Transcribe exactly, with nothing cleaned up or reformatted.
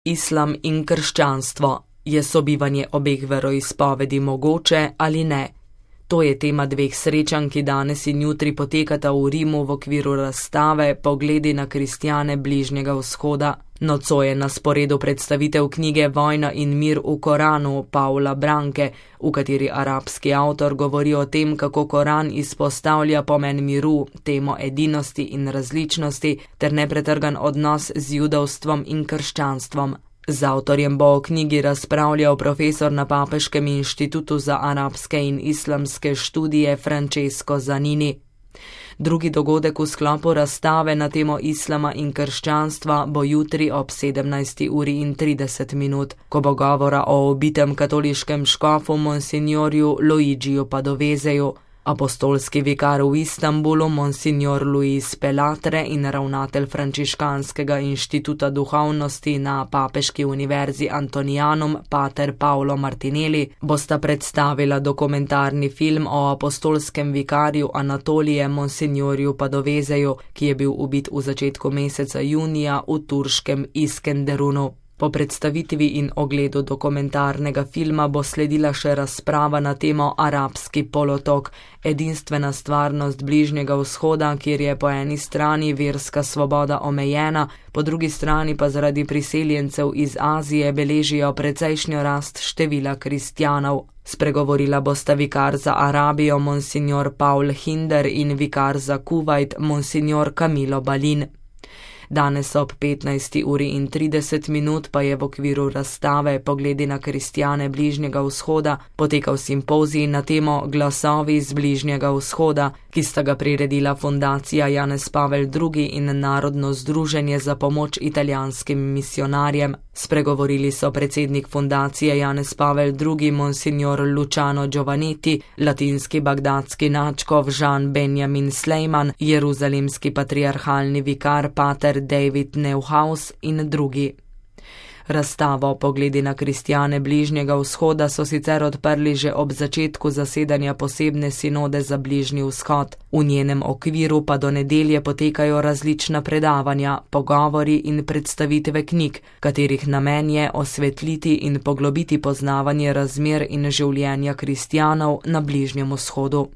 Islam in krščanstvo. Je sobivanje obeh veroizpovedi mogoče ali ne? To je tema dveh srečanj, ki danes in jutri potekata v Rimu v okviru razstave Pogledi na kristjane Bližnjega vzhoda. Nocoj je na sporedu predstavitev knjige Vojna in mir v Koranu Paula Branke, v kateri arabski avtor govori o tem, kako Koran izpostavlja pomen miru, temo edinosti in različnosti ter nepretrgan odnos z judovstvom in krščanstvom. Z avtorjem bo o knjigi razpravljal profesor na Papeškem inštitutu za arabske in islamske študije Francesco Zanini. Drugi dogodek v sklopu razstave na temo islama in krščanstva bo jutri ob sedemnajsti uri in trideset minut, ko bo govora o ubitem katoliškem škofu monsignorju Luigiju Padoveseju. Apostolski vikar v Istanbulu, monsignor Luis Pelatre in ravnatelj Frančiškanskega inštituta duhovnosti na Papeški univerzi Antonianum, pater Paolo Martinelli, bosta predstavila dokumentarni film o apostolskem vikarju Anatolije monsignorju Padoveseju, ki je bil ubit v začetku meseca junija v turškem Iskenderunu. Po predstavitvi in ogledu dokumentarnega filma bo sledila še razprava na temo Arabski polotok, edinstvena stvarnost Bližnjega vzhoda, kjer je po eni strani verska svoboda omejena, po drugi strani pa zaradi priseljencev iz Azije beležijo precejšnjo rast števila kristjanov. Spregovorila bosta vikar za Arabijo monsignor Paul Hinder in vikar za Kuvajt monsignor Camilo Balin. Danes ob petnajsti uri in trideset minut pa je v okviru razstave Pogledi na kristjane Bližnjega vzhoda potekal simpozij na temo Glasovi z Bližnjega vzhoda, ki sta ga priredila Fundacija Janez Pavel drugi in Narodno združenje za pomoč italijanskim misijonarjem. Spregovorili so predsednik Fundacije Janez Pavel drugi monsignor Luciano Giovannetti, latinski bagdadski nadškof Jean Benjamin Slejman, jeruzalemski patriarhalni vikar pater David Neuhaus in drugi. Razstavo Pogledi na kristjane Bližnjega vzhoda so sicer odprli že ob začetku zasedanja posebne sinode za Bližnji vzhod. V njenem okviru pa do nedelje potekajo različna predavanja, pogovori in predstavitve knjig, katerih namen je osvetliti in poglobiti poznavanje razmer in življenja kristjanov na Bližnjem vzhodu.